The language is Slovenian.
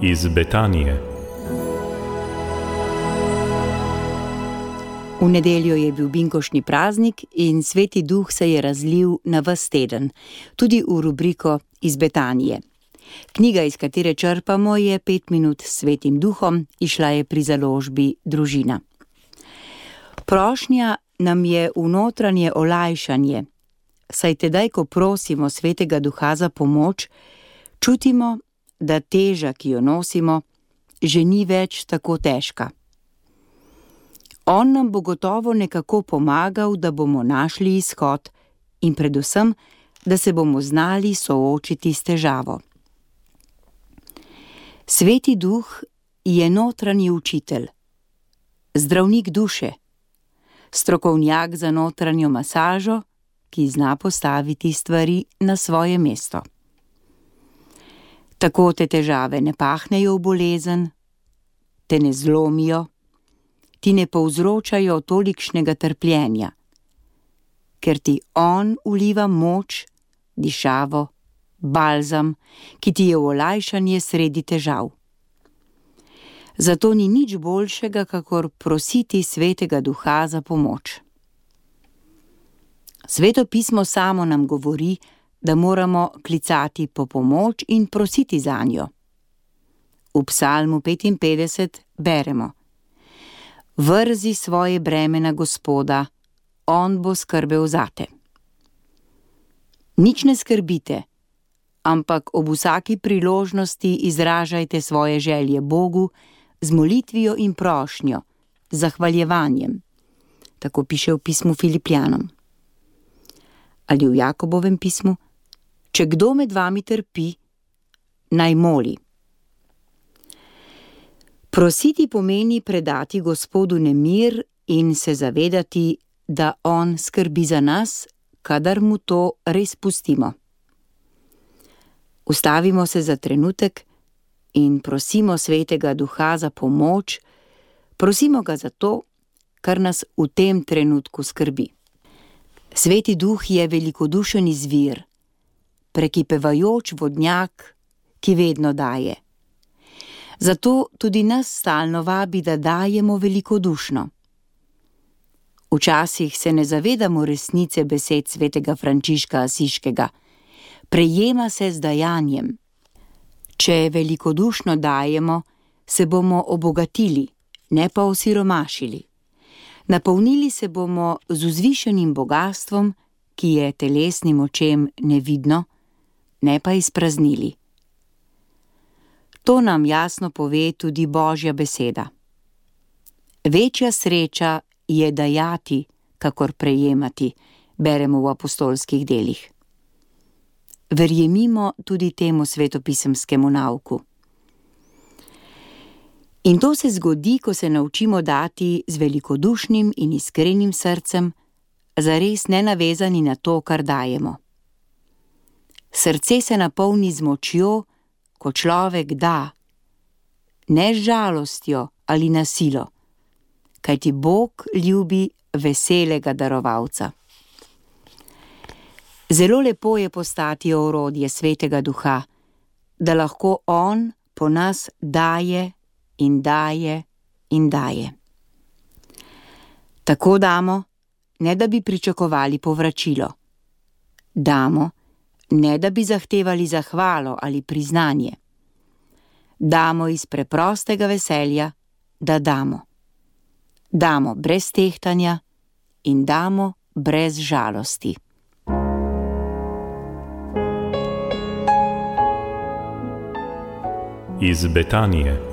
Iz Betanije. V nedeljo je bil binkoštni praznik in Sveti Duh se je razlil na ves teden, tudi v rubriko Iz Betanije. Knjiga, iz katere črpamo, je 5 minut s Svetim Duhom, izšla je pri založbi Družina. Prošnja nam je v notranje olajšanje, saj tedaj, ko prosimo Svetega Duha za pomoč, čutimo, da teža, ki jo nosimo, že ni več tako težka. On nam bo gotovo nekako pomagal, da bomo našli izhod in predvsem, da se bomo znali soočiti s težavo. Sveti Duh je notranji učitelj, zdravnik duše, strokovnjak za notranjo masažo, ki zna postaviti stvari na svoje mesto. Tako te težave ne pahnejo v bolezen, te ne zlomijo, ti ne povzročajo tolikšnega trpljenja, ker ti on vliva moč, dišavo, balzam, ki ti je v olajšanje sredi težav. Zato ni nič boljšega, kakor prositi Svetega Duha za pomoč. Sveto pismo samo nam govori, da moramo klicati po pomoč in prositi zanjo. V Psalmu 55 beremo: Vrzi svoje breme na Gospoda, on bo skrbel zate. Nič ne skrbite, ampak ob vsaki priložnosti izražajte svoje želje Bogu z molitvijo in prošnjo, z zahvaljevanjem. Tako piše v pismu Filipljanom. Ali v Jakobovem pismu: Če kdo med vami trpi, naj moli. Prositi pomeni predati Gospodu nemir in se zavedati, da on skrbi za nas, kadar mu to res pustimo. Ustavimo se za trenutek in prosimo Svetega Duha za pomoč, prosimo ga za to, kar nas v tem trenutku skrbi. Sveti Duh je velikodušen izvir, prekipevajoč vodnjak, ki vedno daje. Zato tudi nas stalno vabi, da dajemo velikodušno. Včasih se ne zavedamo resnice besed svetega Frančiška Asiškega. Prejema se z dajanjem. Če velikodušno dajemo, se bomo obogatili, ne pa osiromašili. Napolnili se bomo z vzvišenim bogastvom, ki je telesnim očem nevidno, ne pa izpraznili. To nam jasno pove tudi Božja beseda. Večja sreča je dajati, kakor prejemati, beremo v apostolskih delih. Verjemimo tudi temu svetopisemskemu nauku. In to se zgodi, ko se naučimo dati z velikodušnim in iskrenim srcem, zares nenavezani na to, kar dajemo. Srce se napolni z močjo, ko človek da, ne z žalostjo ali na silo, kajti Bog ljubi veselega darovalca. Zelo lepo je postati orodje Svetega Duha, da lahko on po nas daje in daje in daje. Tako damo, ne da bi pričakovali povračilo. Damo, ne da bi zahtevali zahvalo ali priznanje. Damo iz preprostega veselja, da damo. Damo brez tehtanja in damo brez žalosti. Iz Betanije.